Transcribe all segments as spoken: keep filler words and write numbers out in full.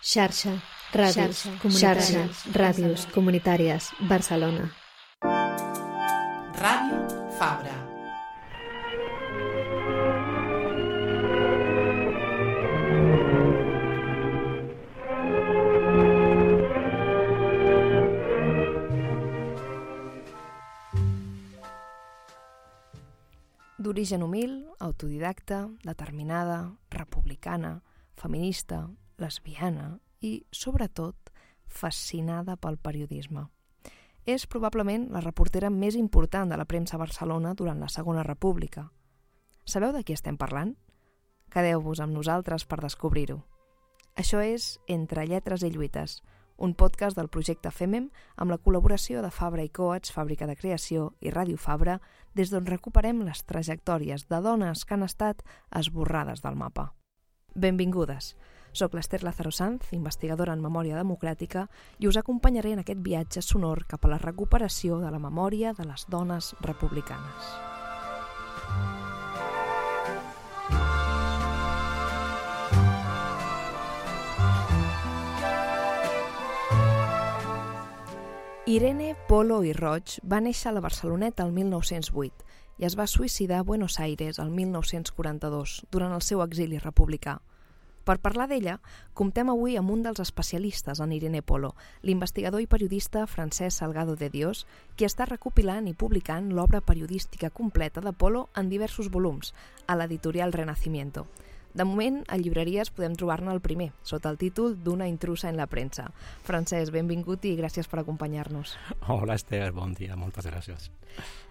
Xarxa, ràdios, xarxa, ràdios comunitàries, Barcelona. Ràdio Fabra. D'origen humil, autodidacta, determinada, republicana, feminista, lesbiana i, sobretot, fascinada pel periodisme. És probablement la reportera més important de la premsa a Barcelona durant la Segona República. Sabeu de qui estem parlant? Quedeu-vos amb nosaltres per descobrir-ho. Això és Entre lletres i lluites, un podcast del projecte FEMEM amb la col·laboració de Fabra i Coats, Fàbrica de Creació i Ràdio Fabra, des d'on recuperem les trajectòries de dones que han estat esborrades del mapa. Benvingudes! Soc l'Ester Lázaro Sanz, investigadora en memòria democràtica, i us acompanyaré en aquest viatge sonor cap a la recuperació de la memòria de les dones republicanes. Irene Polo i Roig va néixer a la Barceloneta el mil nou-cents vuit i es va suïcidar a Buenos Aires el mil nou-cents quaranta-dos, durant el seu exili republicà. Per parlar d'ella, comptem avui amb un dels especialistes en Irene Polo, l'investigador i periodista Francesc Salgado de Dios, qui està recopilant i publicant l'obra periodística completa de Polo en diversos volums, a l'editorial Renacimiento. De moment, a llibreries podem trobar-ne el primer, sota el títol d'Una intrusa en la premsa. Francesc, benvingut i gràcies per acompanyar-nos. Hola, Esther, bon dia, moltes gràcies.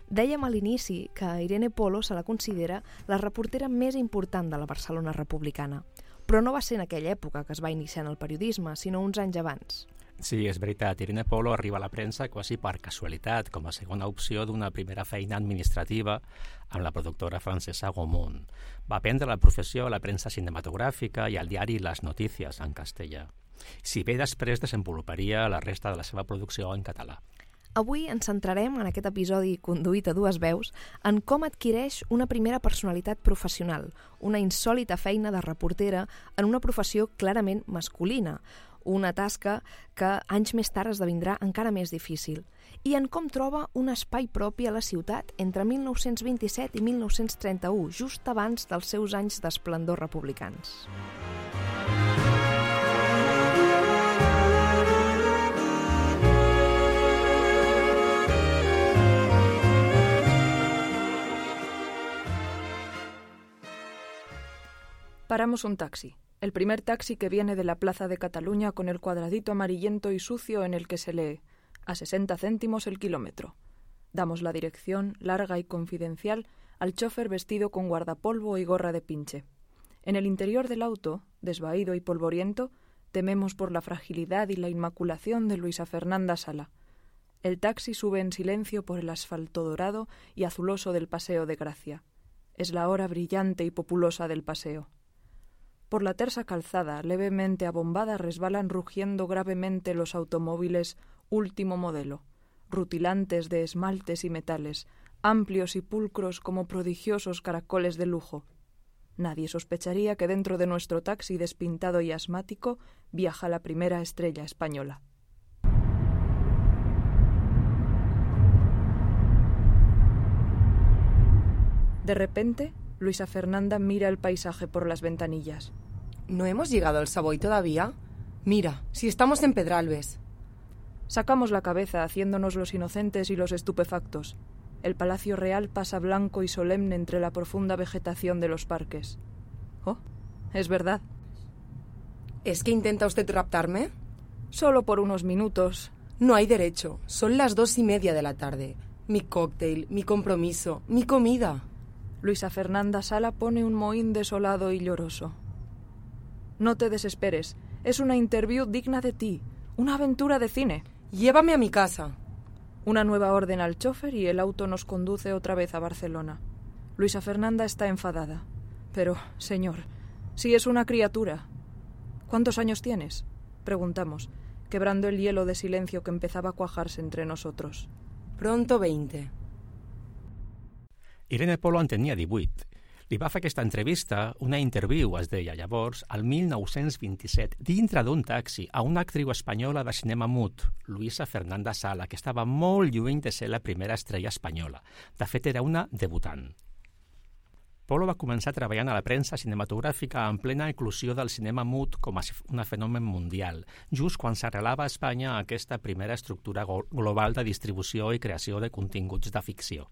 Dèiem a l'inici que Irene Polo se la considera la reportera més important de la Barcelona republicana, però no va ser en aquella època que es va iniciar en el periodisme, sinó uns anys abans. Sí, és veritat. Irene Polo arriba a la premsa quasi per casualitat, com a segona opció d'una primera feina administrativa amb la productora francesa Gaumont. Va aprendre la professió a la premsa cinematogràfica i al diari Las Noticias, en castellà. Si bé després desenvoluparia la resta de la seva producció en català. Avui ens centrarem en aquest episodi conduït a dues veus en com adquireix una primera personalitat professional, una insòlita feina de reportera en una professió clarament masculina, una tasca que anys més tard esdevindrà encara més difícil, i en com troba un espai propi a la ciutat entre mil nou-cents vint-i-set i mil nou-cents trenta-u, just abans dels seus anys d'esplendor republicans. Paramos un taxi, el primer taxi que viene de la Plaza de Cataluña con el cuadradito amarillento y sucio en el que se lee a sesenta céntimos el kilómetro. Damos la dirección, larga y confidencial, al chofer vestido con guardapolvo y gorra de pinche. En el interior del auto, desvaído y polvoriento, tememos por la fragilidad y la inmaculación de Luisa Fernanda Sala. El taxi sube en silencio por el asfalto dorado y azuloso del Paseo de Gracia. Es la hora brillante y populosa del paseo. Por la tersa calzada, levemente abombada, resbalan rugiendo gravemente los automóviles último modelo, rutilantes de esmaltes y metales, amplios y pulcros como prodigiosos caracoles de lujo. Nadie sospecharía que dentro de nuestro taxi despintado y asmático viaja la primera estrella española. De repente, Luisa Fernanda mira el paisaje por las ventanillas. ¿No hemos llegado al Savoy todavía? Mira, si estamos en Pedralbes. Sacamos la cabeza haciéndonos los inocentes y los estupefactos. El Palacio Real pasa blanco y solemne entre la profunda vegetación de los parques. Oh, es verdad. ¿Es que intenta usted raptarme? Solo por unos minutos. No hay derecho. Son las dos y media de la tarde. Mi cóctel, mi compromiso, mi comida. Luisa Fernanda Sala pone un mohín desolado y lloroso. No te desesperes. Es una interview digna de ti. Una aventura de cine. Llévame a mi casa. Una nueva orden al chofer y el auto nos conduce otra vez a Barcelona. Luisa Fernanda está enfadada. Pero, señor, si es una criatura. ¿Cuántos años tienes?, preguntamos, quebrando el hielo de silencio que empezaba a cuajarse entre nosotros. Pronto veinte. Irene Polo en tenia divuit. Li va fer aquesta entrevista, una interview, es deia llavors, al mil nou-cents vint-i-set, dintre d'un taxi, a una actriu espanyola de cinema mut, Luisa Fernanda Sala, que estava molt lluny de ser la primera estrella espanyola. De fet, era una debutant. Polo va començar treballant a la premsa cinematogràfica en plena eclosió del cinema mut com a un fenomen mundial, just quan s'arrelava a Espanya aquesta primera estructura global de distribució i creació de continguts de ficció.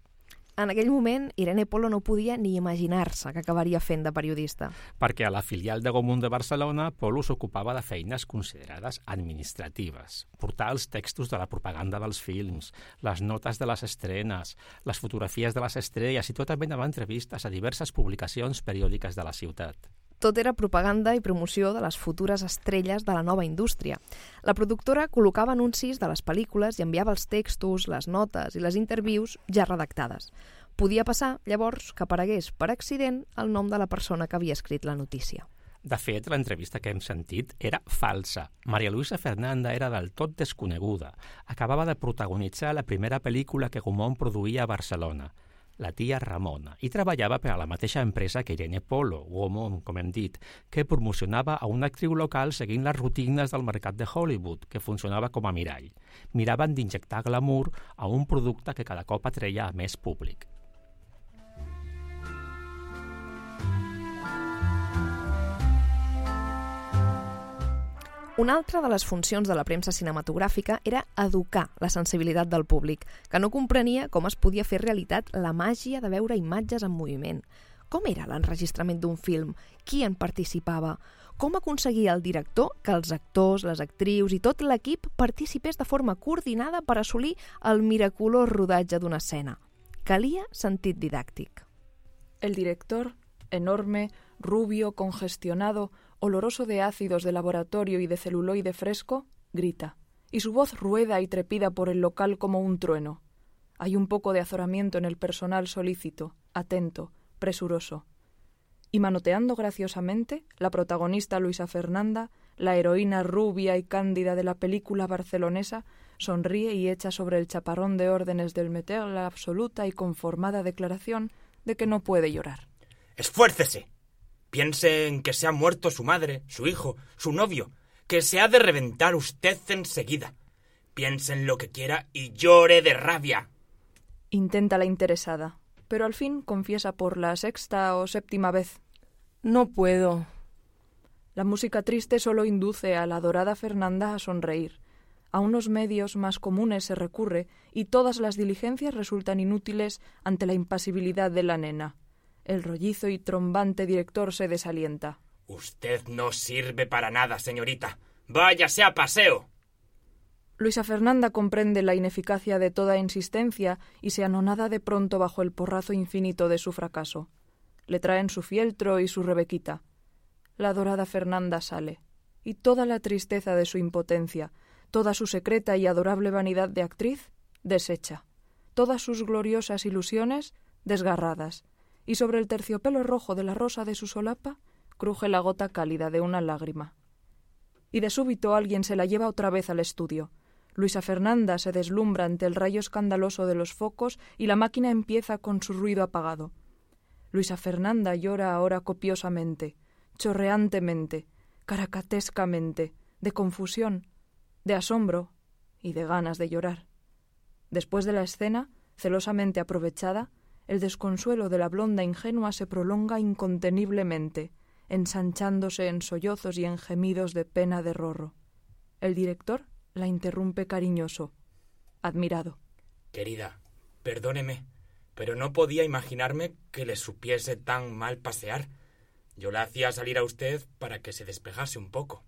En aquell moment, Irene Polo no podia ni imaginar-se que acabaria fent de periodista. Perquè a la filial de Gomund de Barcelona, Polo s'ocupava de feines considerades administratives. Portar els textos de la propaganda dels films, les notes de les estrenes, les fotografies de les estrelles i tota mena d'entrevistes a diverses publicacions periòdiques de la ciutat. Tot era propaganda i promoció de les futures estrelles de la nova indústria. La productora col·locava anuncis de les pel·lícules i enviava els textos, les notes i les interviews ja redactades. Podia passar, llavors, que aparegués per accident el nom de la persona que havia escrit la notícia. De fet, l'entrevista que hem sentit era falsa. Maria Luisa Fernanda era del tot desconeguda. Acabava de protagonitzar la primera pel·lícula que Gaumont produïa a Barcelona, La tia Ramona, i treballava per a la mateixa empresa que Irene Polo, Gaumont, com hem dit, que promocionava a una actriu local seguint les rutines del mercat de Hollywood, que funcionava com a mirall. Miraven d'injectar glamour a un producte que cada cop atreia a més públic. Una altra de les funcions de la premsa cinematogràfica era educar la sensibilitat del públic, que no comprenia com es podia fer realitat la màgia de veure imatges en moviment. Com era l'enregistrament d'un film? Qui en participava? Com aconseguia el director que els actors, les actrius i tot l'equip participés de forma coordinada per assolir el miraculós rodatge d'una escena? Calia sentit didàctic. El director, enorme, rubio, congestionado, oloroso de ácidos de laboratorio y de celuloide fresco, grita, y su voz rueda y trepida por el local como un trueno. Hay un poco de azoramiento en el personal solícito, atento, presuroso. Y manoteando graciosamente, la protagonista Luisa Fernanda, la heroína rubia y cándida de la película barcelonesa, sonríe y echa sobre el chaparrón de órdenes del meter la absoluta y conformada declaración de que no puede llorar. ¡Esfuércese! Piense en que se ha muerto su madre, su hijo, su novio, que se ha de reventar usted enseguida. Piense en lo que quiera y llore de rabia. Intenta la interesada, pero al fin confiesa por la sexta o séptima vez. No puedo. La música triste solo induce a la adorada Fernanda a sonreír. A unos medios más comunes se recurre y todas las diligencias resultan inútiles ante la impasibilidad de la nena. El rollizo y trombante director se desalienta. Usted no sirve para nada, señorita. ¡Váyase a paseo! Luisa Fernanda comprende la ineficacia de toda insistencia y se anonada de pronto bajo el porrazo infinito de su fracaso. Le traen su fieltro y su rebequita. La adorada Fernanda sale, y toda la tristeza de su impotencia, toda su secreta y adorable vanidad de actriz, deshecha, todas sus gloriosas ilusiones, desgarradas, y sobre el terciopelo rojo de la rosa de su solapa cruje la gota cálida de una lágrima. Y de súbito alguien se la lleva otra vez al estudio. Luisa Fernanda se deslumbra ante el rayo escandaloso de los focos y la máquina empieza con su ruido apagado. Luisa Fernanda llora ahora copiosamente, chorreantemente, caracatescamente, de confusión, de asombro y de ganas de llorar. Después de la escena, celosamente aprovechada, el desconsuelo de la blonda ingenua se prolonga inconteniblemente, ensanchándose en sollozos y en gemidos de pena de rorro. El director la interrumpe cariñoso, admirado. Querida, perdóneme, pero no podía imaginarme que le supiese tan mal pasear. Yo la hacía salir a usted para que se despejase un poco.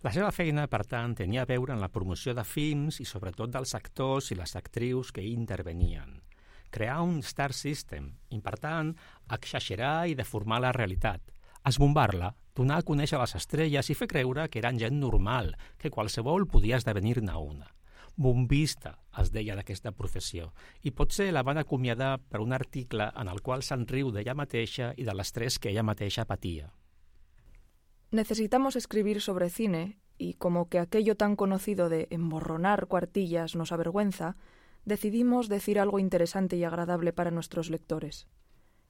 La seva feina, per tant, tenia a veure en la promoció de films i sobretot dels actors i les actrius que hi intervenien. Crear un star system i, per tant, exagerar i deformar la realitat, esbombar-la, donar a conèixer les estrelles i fer creure que eren gent normal, que qualsevol podia esdevenir-ne una. Bombista, es deia d'aquesta professió, i potser la van acomiadar per un article en el qual se'n riu d'ella mateixa i de l'estrès que ella mateixa patia. Necesitamos escribir sobre cine, y como que aquello tan conocido de emborronar cuartillas nos avergüenza, decidimos decir algo interesante y agradable para nuestros lectores.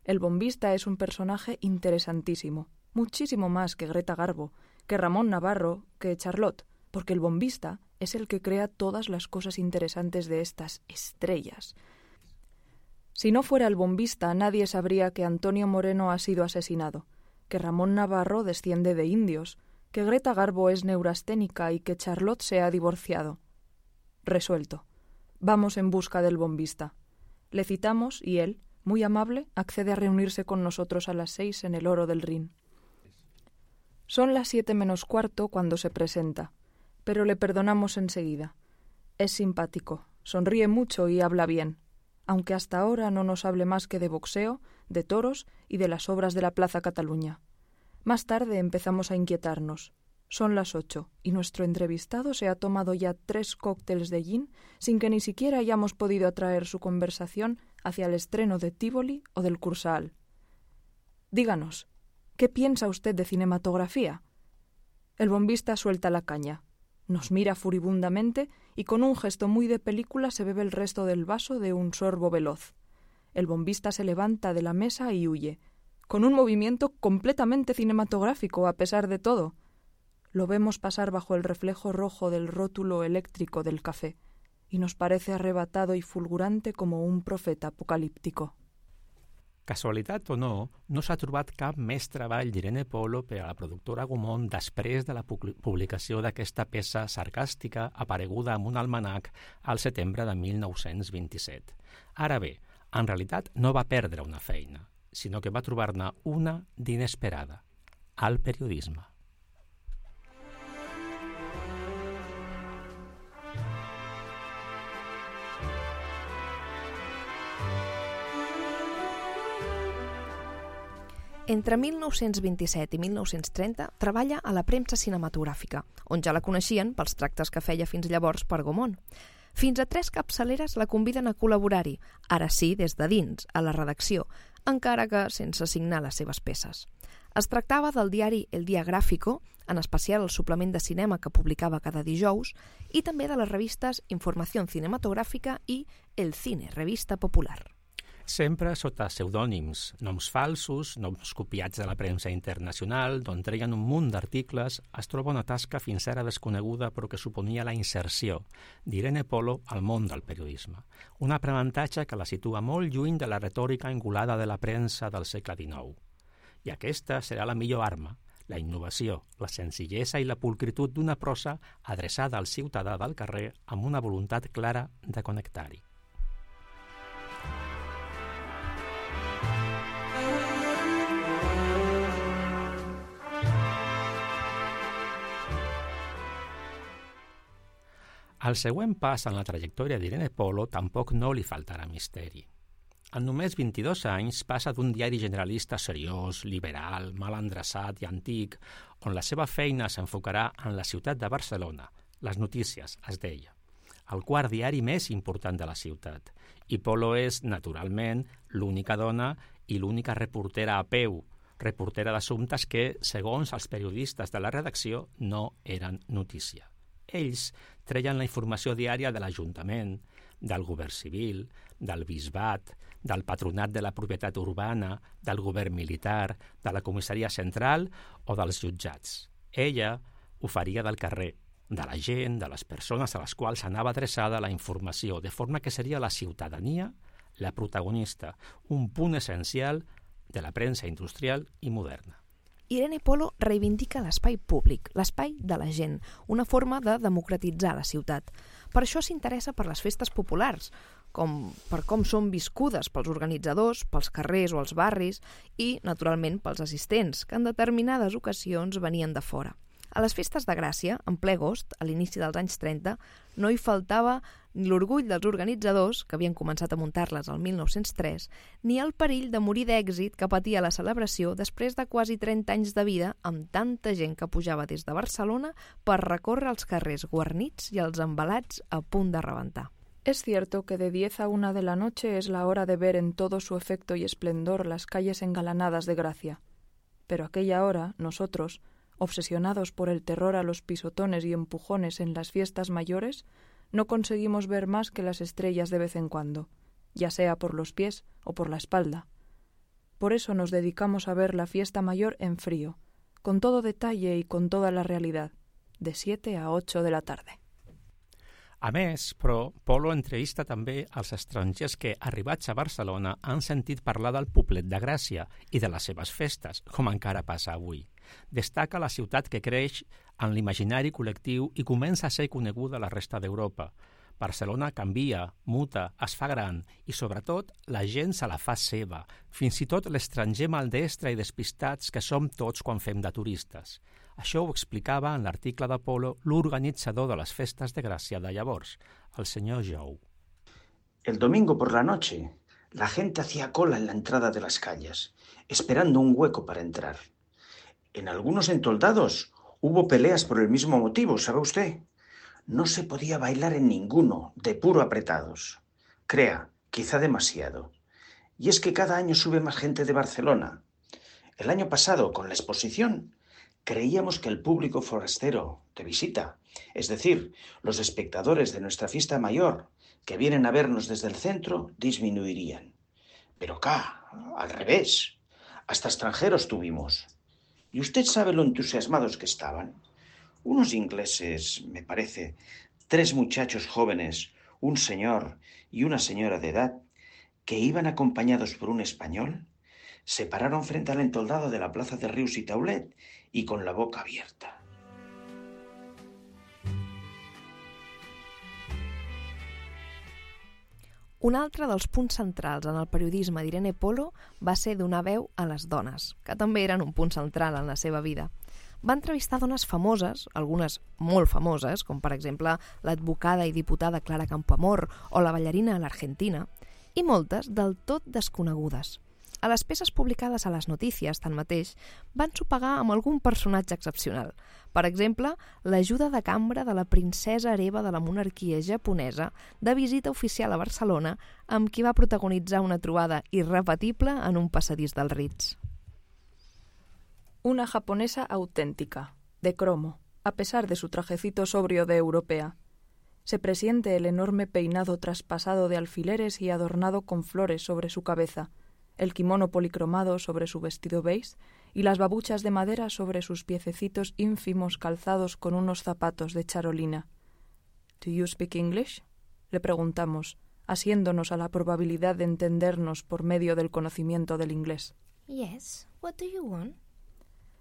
El bombista es un personaje interesantísimo, muchísimo más que Greta Garbo, que Ramón Navarro, que Charlotte, porque el bombista es el que crea todas las cosas interesantes de estas estrellas. Si no fuera el bombista, nadie sabría que Antonio Moreno ha sido asesinado, que Ramón Navarro desciende de indios, que Greta Garbo es neurasténica y que Charlotte se ha divorciado. Resuelto. Vamos en busca del bombista. Le citamos y él, muy amable, accede a reunirse con nosotros a las seis en el Oro del Rin. Son las siete menos cuarto cuando se presenta, pero le perdonamos enseguida. Es simpático, sonríe mucho y habla bien, aunque hasta ahora no nos hable más que de boxeo, de toros y de las obras de la Plaza Cataluña. Más tarde empezamos a inquietarnos. Son las ocho y nuestro entrevistado se ha tomado ya tres cócteles de gin sin que ni siquiera hayamos podido atraer su conversación hacia el estreno de Tívoli o del Kursaal. Díganos, ¿qué piensa usted de cinematografía? El bombista suelta la caña, nos mira furibundamente y con un gesto muy de película se bebe el resto del vaso de un sorbo veloz. El bombista se levanta de la mesa y huye, con un movimiento completamente cinematográfico a pesar de todo. Lo vemos pasar bajo el reflejo rojo del rótulo eléctrico del café y nos parece arrebatado y fulgurante como un profeta apocalíptico. Casualitat o no, no s'ha trobat cap més treball d'Irene Polo per a la productora Gaumont després de la publicació d'aquesta peça sarcàstica apareguda en un almanac al setembre de mil nou-cents vint-i-set. Ara bé, en realitat no va perdre una feina, sinó que va trobar-ne una d'inesperada, al periodisme. Entre mil nou-cents vint-i-set i mil nou-cents trenta treballa a la premsa cinematogràfica, on ja la coneixien pels tractes que feia fins llavors per Gaumont. Fins a tres capçaleres la conviden a col·laborar-hi, ara sí des de dins, a la redacció, encara que sense signar les seves peces. Es tractava del diari El Día Gráfico, en especial el suplement de cinema que publicava cada dijous, i també de les revistes Informació Cinematogràfica i El Cine, revista popular. Sempre sota pseudònims, noms falsos, noms copiats de la premsa internacional, d'on treien un munt d'articles, es troba una tasca fins ara desconeguda però que suponia la inserció d'Irene Polo al món del periodisme. Un aprenentatge que la situa molt lluny de la retòrica engolada de la premsa del segle dinou. I aquesta serà la millor arma, la innovació, la senzillesa i la pulcritud d'una prosa adreçada al ciutadà del carrer amb una voluntat clara de connectar-hi. Al següent pas en la trajectòria d'Irene Polo tampoc no li faltarà misteri. En només vint-i-dos anys passa d'un diari generalista seriós, liberal, mal endreçat i antic, on la seva feina s'enfocarà en la ciutat de Barcelona, les notícies, es deia, el quart diari més important de la ciutat. I Polo és, naturalment, l'única dona i l'única reportera a peu, reportera d'assumptes que, segons els periodistes de la redacció, no eren notícia. Ells treien la informació diària de l'Ajuntament, del govern civil, del bisbat, del patronat de la propietat urbana, del govern militar, de la comissaria central o dels jutjats. Ella ho faria del carrer, de la gent, de les persones a les quals anava adreçada la informació, de forma que seria la ciutadania la protagonista, un punt essencial de la premsa industrial i moderna. Irene Polo reivindica l'espai públic, l'espai de la gent, una forma de democratitzar la ciutat. Per això s'interessa per les festes populars, com per com són viscudes pels organitzadors, pels carrers o els barris i, naturalment, pels assistents, que en determinades ocasions venien de fora. A les festes de Gràcia, en ple agost, a l'inici dels anys trenta, no hi faltava ni l'orgull dels organitzadors, que havien començat a muntar-les el mil nou-cents tres, ni el perill de morir d'èxit que patia la celebració després de quasi trenta anys de vida amb tanta gent que pujava des de Barcelona per recórrer els carrers guarnits i els embalats a punt de rebentar. Es cierto que de diez a una de la noche es la hora de ver en todo su efecto y esplendor las calles engalanadas de Gracia. Pero aquella hora, nosotros, obsesionados por el terror a los pisotones y empujones en las fiestas mayores, no conseguimos ver más que las estrellas de vez en cuando, ya sea por los pies o por la espalda. por eso nos dedicamos a ver la fiesta mayor en frío, con todo detalle y con toda la realidad, de siete a ocho de la tarde. A més, però, Polo entrevista també als estrangers que, arribats a Barcelona, han sentit parlar del Poblet de Gràcia i de les seves festes, com encara passa avui. Destaca la ciutat que creix en l'imaginari col·lectiu i comença a ser coneguda a la resta d'Europa. Barcelona canvia, muta, es fa gran i, sobretot, la gent se la fa seva, fins i tot l'estranger maldestre i despistats que som tots quan fem de turistes. Això ho explicava en l'article de Polo l'organitzador de les festes de Gràcia de llavors, el senyor Jou. El domingo por la noche, la gente hacía cola en la entrada de las calles, esperando un hueco para entrar. En algunos entoldados hubo peleas por el mismo motivo, ¿sabe usted? No se podía bailar en ninguno, de puro apretados. Crea, quizá demasiado. Y es que cada año sube más gente de Barcelona. El año pasado, con la exposición, creíamos que el público forastero de visita, es decir, los espectadores de nuestra fiesta mayor que vienen a vernos desde el centro, disminuirían. Pero acá, al revés, hasta extranjeros tuvimos. ¿Y usted sabe lo entusiasmados que estaban? Unos ingleses, me parece, tres muchachos jóvenes, un señor y una señora de edad, que iban acompañados por un español, se pararon frente al entoldado de la plaza de Rius i Taulet y con la boca abierta. Un altre dels punts centrals en el periodisme d'Irene Polo va ser donar veu a les dones, que també eren un punt central en la seva vida. Va entrevistar dones famoses, algunes molt famoses, com per exemple l'advocada i diputada Clara Campoamor o la ballarina a l'Argentina, i moltes del tot desconegudes. A les peces publicades a les notícies, tanmateix, van sopegar amb algun personatge excepcional. Per exemple, l'ajuda de cambra de la princesa hereva de la monarquia japonesa de visita oficial a Barcelona, amb qui va protagonitzar una trobada irrepetible en un passadís del Ritz. Una japonesa auténtica, de cromo, a pesar de su trajecito sobrio de europea. Se presiente el enorme peinado traspasado de alfileres y adornado con flores sobre su cabeza, el kimono policromado sobre su vestido beige y las babuchas de madera sobre sus piececitos ínfimos calzados con unos zapatos de charolina. «Do you speak English?», le preguntamos, asiéndonos a la probabilidad de entendernos por medio del conocimiento del inglés. «Yes, what do you want?»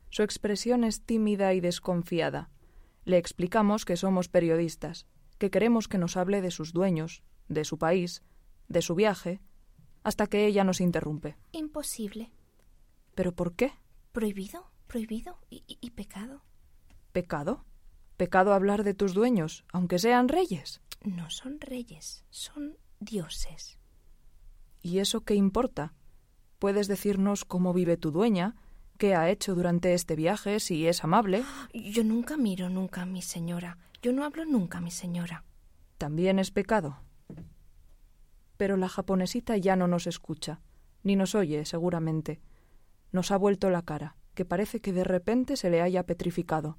Su expresión es tímida y desconfiada. Le explicamos que somos periodistas, que queremos que nos hable de sus dueños, de su país, de su viaje, hasta que ella nos interrumpe. Imposible. ¿Pero por qué? Prohibido, prohibido y, y, y pecado. ¿Pecado? ¿Pecado hablar de tus dueños, aunque sean reyes? No son reyes, son dioses. ¿Y eso qué importa? Puedes decirnos cómo vive tu dueña, qué ha hecho durante este viaje, si es amable. Yo nunca miro nunca a mi señora. Yo no hablo nunca a mi señora. ¿También es pecado? Pero la japonesita ya no nos escucha, ni nos oye, seguramente. Nos ha vuelto la cara, que parece que de repente se le haya petrificado.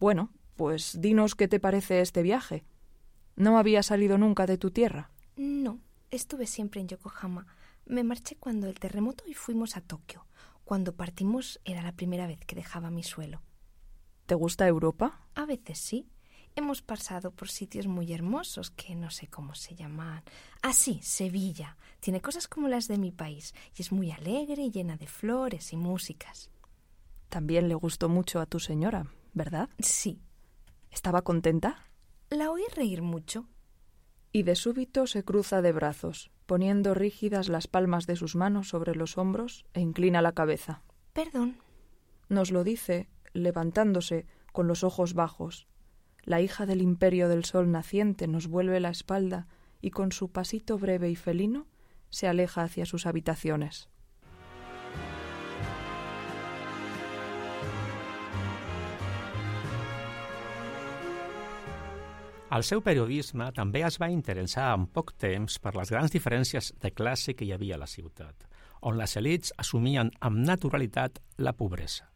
Bueno, pues dinos qué te parece este viaje. ¿No habías salido nunca de tu tierra? No, estuve siempre en Yokohama. Me marché cuando el terremoto y fuimos a Tokio. Cuando partimos era la primera vez que dejaba mi suelo. ¿Te gusta Europa? A veces sí. Hemos pasado por sitios muy hermosos que no sé cómo se llaman. Ah, sí, Sevilla. Tiene cosas como las de mi país y es muy alegre y llena de flores y músicas. También le gustó mucho a tu señora, ¿verdad? Sí. ¿Estaba contenta? La oí reír mucho. Y de súbito se cruza de brazos, poniendo rígidas las palmas de sus manos sobre los hombros e inclina la cabeza. Perdón. Nos lo dice, levantándose, con los ojos bajos. La hija del imperio del sol naciente nos vuelve la espalda y con su pasito breve y felino se aleja hacia sus habitaciones. El seu periodisme també es va interessar en poc temps per les grans diferències de classe que hi havia a la ciutat, on les elits assumien amb naturalitat la pobresa.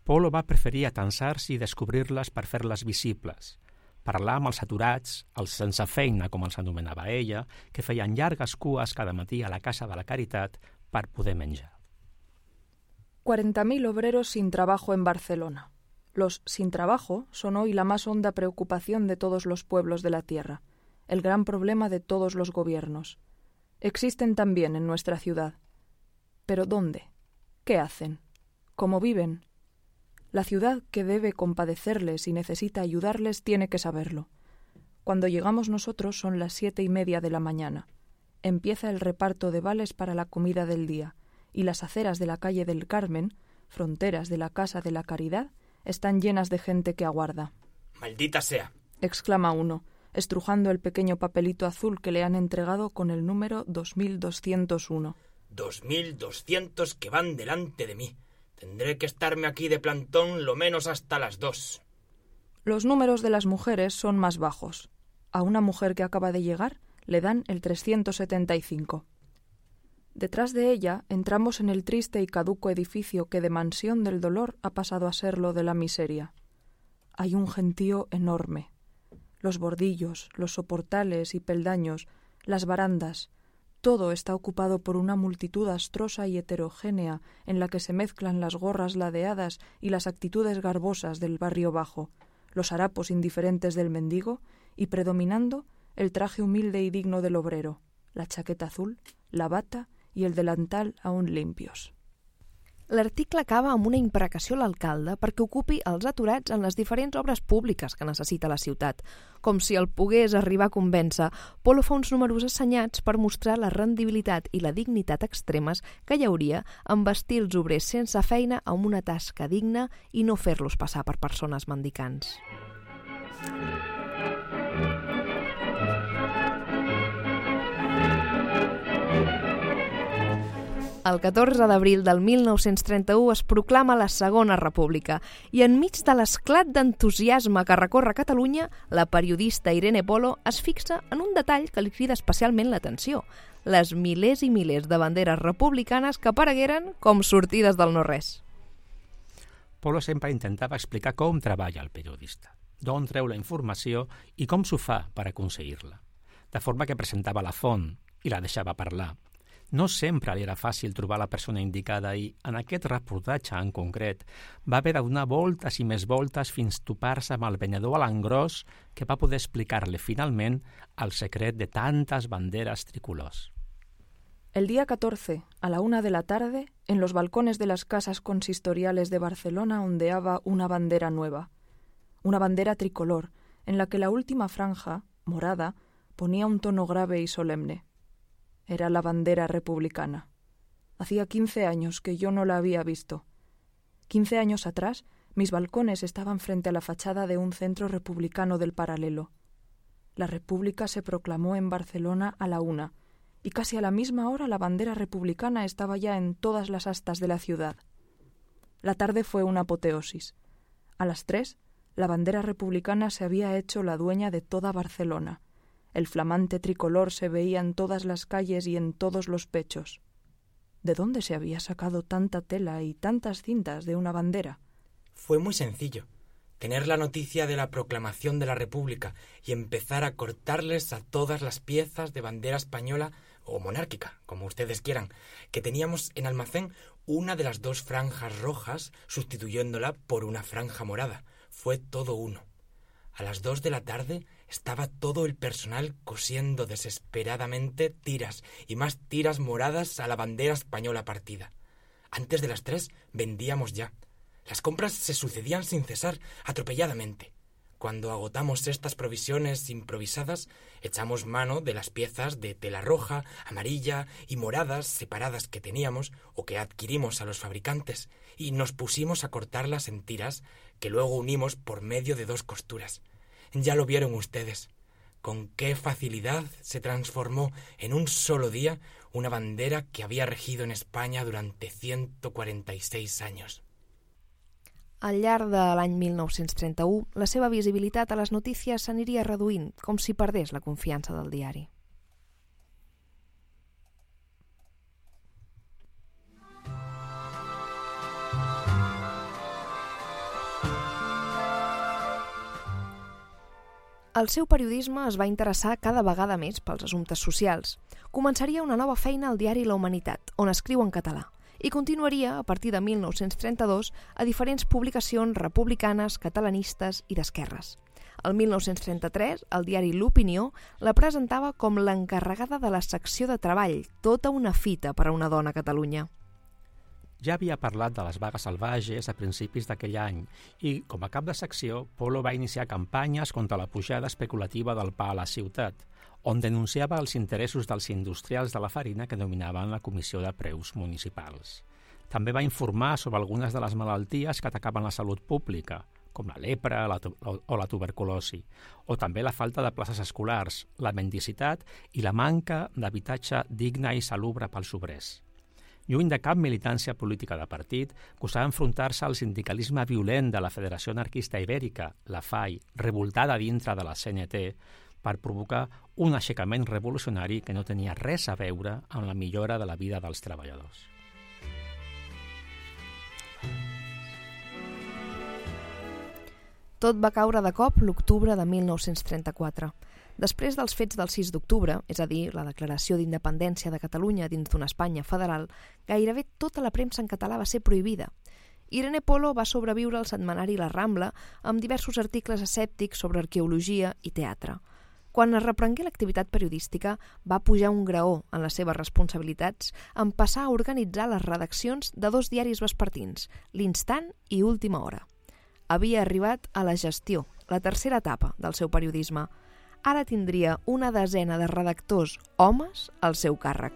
Polo va preferir atansar-s'hi i descobrir-les per fer-les visibles, parlar amb els aturats, els sense feina, com els anomenava ella, que feien llargues cues cada matí a la Casa de la Caritat per poder menjar. cuarenta mil obreros sin trabajo en Barcelona. Los sin trabajo son hoy la más honda preocupación de todos los pueblos de la tierra, el gran problema de todos los gobiernos. Existen también en nuestra ciudad. ¿Pero dónde? ¿Qué hacen? ¿Cómo viven? La ciudad, que debe compadecerles y necesita ayudarles, tiene que saberlo. Cuando llegamos nosotros son las siete y media de la mañana. Empieza el reparto de vales para la comida del día, y las aceras de la calle del Carmen, fronteras de la Casa de la Caridad, están llenas de gente que aguarda. ¡Maldita sea!, exclama uno, estrujando el pequeño papelito azul que le han entregado con el número dos mil doscientos uno. Dos mil doscientos que van delante de mí. Tendré que estarme aquí de plantón lo menos hasta las dos. Los números de las mujeres son más bajos. A una mujer que acaba de llegar le dan el trescientos setenta y cinco. Detrás de ella entramos en el triste y caduco edificio que de mansión del dolor ha pasado a ser lo de la miseria. Hay un gentío enorme. Los bordillos, los soportales y peldaños, las barandas, todo está ocupado por una multitud astrosa y heterogénea en la que se mezclan las gorras ladeadas y las actitudes garbosas del barrio bajo, los harapos indiferentes del mendigo y, predominando, el traje humilde y digno del obrero, la chaqueta azul, la bata i el delantal aún limpios. L'article acaba amb una imprecació a l'alcalde perquè ocupi els aturats en les diferents obres públiques que necessita la ciutat. Com si el pogués arribar a convèncer, Polo fa uns números assenyats per mostrar la rendibilitat i la dignitat extremes que hi hauria en vestir els obrers sense feina amb una tasca digna i no fer-los passar per persones mendicants. El catorze d'abril del mil nou-cents trenta-u es proclama la Segona República i enmig de l'esclat d'entusiasme que recorre Catalunya, la periodista Irene Polo es fixa en un detall que li crida especialment l'atenció: les milers i milers de banderes republicanes que aparegueren com sortides del no-res. Polo sempre intentava explicar com treballa el periodista, d'on treu la informació i com s'ho fa per aconseguir-la, de forma que presentava la font i la deixava parlar. No sempre li era fàcil trobar la persona indicada i, en aquest reportatge en concret, va haver de donar voltes i més voltes fins topar-se amb el venedor a l'engròs que va poder explicar-li finalment el secret de tantes banderes tricolors. El día catorce, a la una de la tarde, en los balcones de las casas consistoriales de Barcelona ondeaba una bandera nueva. Una bandera tricolor, en la que la última franja, morada, ponía un tono grave y solemne. Era la bandera republicana. Hacía quince años que yo no la había visto. Quince años atrás, mis balcones estaban frente a la fachada de un centro republicano del Paralelo. La República se proclamó en Barcelona a la una, y casi a la misma hora la bandera republicana estaba ya en todas las astas de la ciudad. La tarde fue una apoteosis. A las tres, la bandera republicana se había hecho la dueña de toda Barcelona. El flamante tricolor se veía en todas las calles y en todos los pechos. ¿De dónde se había sacado tanta tela y tantas cintas de una bandera? Fue muy sencillo. Tener la noticia de la proclamación de la República y empezar a cortarles a todas las piezas de bandera española o monárquica, como ustedes quieran, que teníamos en almacén una de las dos franjas rojas sustituyéndola por una franja morada. Fue todo uno. A las dos de la tarde estaba todo el personal cosiendo desesperadamente tiras y más tiras moradas a la bandera española partida. Antes de las tres vendíamos ya. Las compras se sucedían sin cesar, atropelladamente. Cuando agotamos estas provisiones improvisadas, echamos mano de las piezas de tela roja, amarilla y moradas separadas que teníamos o que adquirimos a los fabricantes y nos pusimos a cortarlas en tiras que luego unimos por medio de dos costuras. Ya lo vieron ustedes. Con qué facilidad se transformó en un solo día una bandera que había regido en España durante ciento cuarenta y seis años. Al llarg de l'any mil nou-cents trenta-u, la seva visibilitat a les notícies s'aniria reduint, com si perdés la confiança del diari. El seu periodisme es va interessar cada vegada més pels assumptes socials. Començaria una nova feina al diari La Humanitat, on escriu en català, i continuaria, a partir de mil nou-cents trenta-dos, a diferents publicacions republicanes, catalanistes i d'esquerres. El mil nou-cents trenta-tres, el diari L'Opinió la presentava com l'encarregada de la secció de treball, tota una fita per a una dona a Catalunya. Ja havia parlat de les vagues salvatges a principis d'aquell any i, com a cap de secció, Polo va iniciar campanyes contra la pujada especulativa del pa a la ciutat, on denunciava els interessos dels industrials de la farina que dominaven la Comissió de Preus Municipals. També va informar sobre algunes de les malalties que atacaven la salut pública, com la lepra la o la tuberculosi, o també la falta de places escolars, la mendicitat i la manca d'habitatge digne i salubre pels obrers. Lluny de cap militància política de partit, gostava enfrontar-se al sindicalisme violent de la Federació Anarquista Ibèrica, la F A I, revoltada dintre de la C N T, per provocar un aixecament revolucionari que no tenia res a veure amb la millora de la vida dels treballadors. Tot va caure de cop l'octubre de mil nou-cents trenta-quatre. Després dels fets del sis d'octubre, és a dir, la declaració d'independència de Catalunya dins d'una Espanya federal, gairebé tota la premsa en català va ser prohibida. Irene Polo va sobreviure al setmanari La Rambla amb diversos articles escèptics sobre arqueologia i teatre. Quan es reprengué l'activitat periodística, va pujar un graó en les seves responsabilitats en passar a organitzar les redaccions de dos diaris vespertins, l'Instant i Última Hora. Havia arribat a la gestió, la tercera etapa del seu periodisme. Ara tindria una desena de redactors homes al seu càrrec.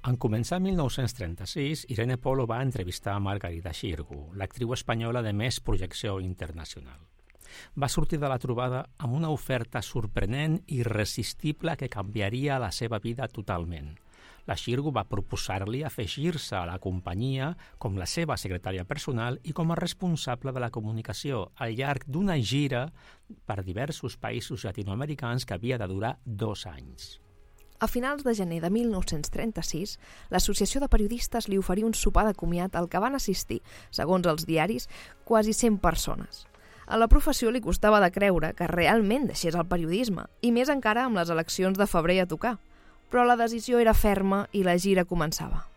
En començar mil nou-cents trenta-sis, Irene Polo va entrevistar a Margarida Xirgu, l'actriu espanyola de més projecció internacional. Va sortir de la trobada amb una oferta sorprenent i irresistible que canviaria la seva vida totalment. La Xirgu va proposar-li afegir-se a la companyia com la seva secretària personal i com a responsable de la comunicació al llarg d'una gira per diversos països llatinoamericans que havia de durar dos anys. A finals de gener de mil nou-cents trenta-sis, l'Associació de Periodistes li oferí un sopar de comiat al que van assistir, segons els diaris, quasi cent persones. A la professió li costava de creure que realment deixés el periodisme, i més encara amb les eleccions de febrer a tocar. Però la decisió era ferma i la gira començava.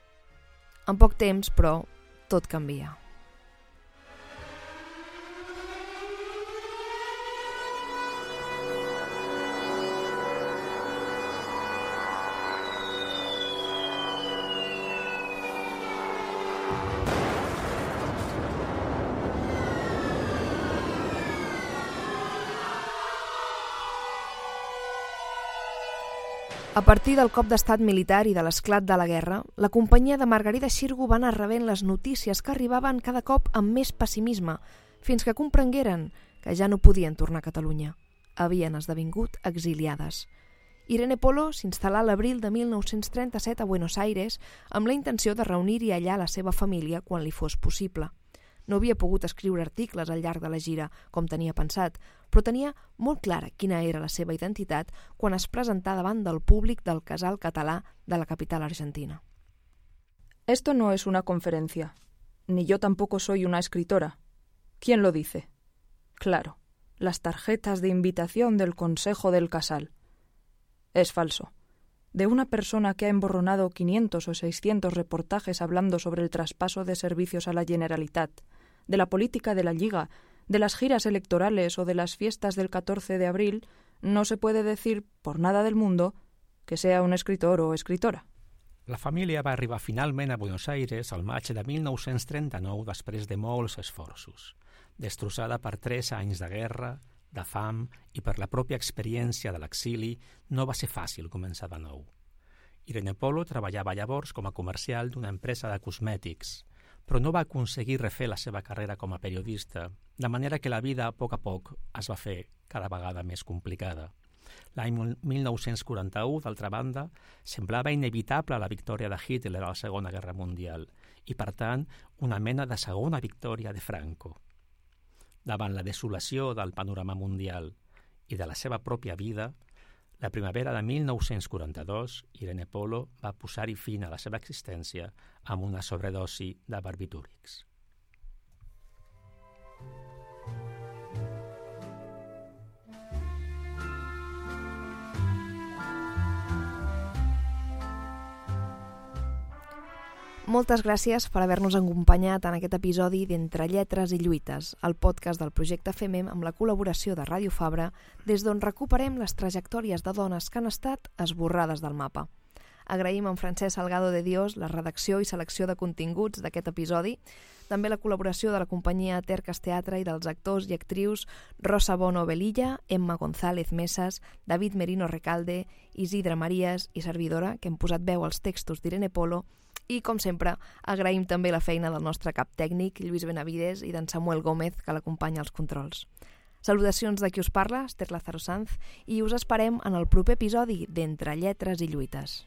En poc temps, però, tot canvia. A partir del cop d'estat militar i de l'esclat de la guerra, la companyia de Margarida Xirgu va anar rebent les notícies que arribaven cada cop amb més pessimisme, fins que comprengueren que ja no podien tornar a Catalunya. Havien esdevingut exiliades. Irene Polo s'instal·là a l'abril de mil nou-cents trenta-set a Buenos Aires amb la intenció de reunir-hi allà la seva família quan li fos possible. No havia pogut escriure articles al llarg de la gira, com tenia pensat, però tenia molt clara quina era la seva identitat quan es presentà davant del públic del Casal Català de la capital argentina. Esto no es una conferencia, ni yo tampoco soy una escritora. ¿Quién lo dice? Claro, las tarjetas de invitación del Consejo del Casal. Es falso. De una persona que ha emborronado quinientos o seiscientos reportajes hablando sobre el traspaso de servicios a la Generalitat, de la política de la Lliga, de las giras electorales o de las fiestas del catorce de abril, no se puede decir, por nada del mundo, que sea un escritor o escritora. La família va arribar finalment a Buenos Aires al maig de mil nou-cents trenta-nou després de molts esforços, destrossada per tres anys de guerra, de fam i per la pròpia experiència de l'exili, no va ser fàcil començar de nou. Irene Polo treballava llavors com a comercial d'una empresa de cosmètics, però no va aconseguir refer la seva carrera com a periodista, de manera que la vida, a poc a poc, es va fer cada vegada més complicada. L'any mil nou-cents quaranta-u, d'altra banda, semblava inevitable la victòria de Hitler a la Segona Guerra Mundial i, per tant, una mena de segona victòria de Franco. Davant la desolació del panorama mundial i de la seva pròpia vida, la primavera de mil nou-cents quaranta-dos, Irene Polo va posar-hi fin a la seva existència amb una sobredosi de barbitúrics. Moltes gràcies per haver-nos acompanyat en aquest episodi d'Entre Lletres i Lluites, el podcast del projecte FEMEM amb la col·laboració de Ràdio Fabra, des d'on recuperem les trajectòries de dones que han estat esborrades del mapa. Agraïm a en Francesc Salgado de Dios la redacció i selecció de continguts d'aquest episodi, també la col·laboració de la companyia Tercas Teatre i dels actors i actrius Rosa Bono Velilla, Emma González Mesas, David Merino Recalde, Isidre Marías i servidora, que hem posat veu als textos d'Irene Polo, i, com sempre, agraïm també la feina del nostre cap tècnic, Lluís Benavides, i d'en Samuel Gómez, que l'acompanya als controls. Salutacions de qui us parla, Esther Lázaro Sanz, i us esperem en el proper episodi d'Entre Lletres i Lluites.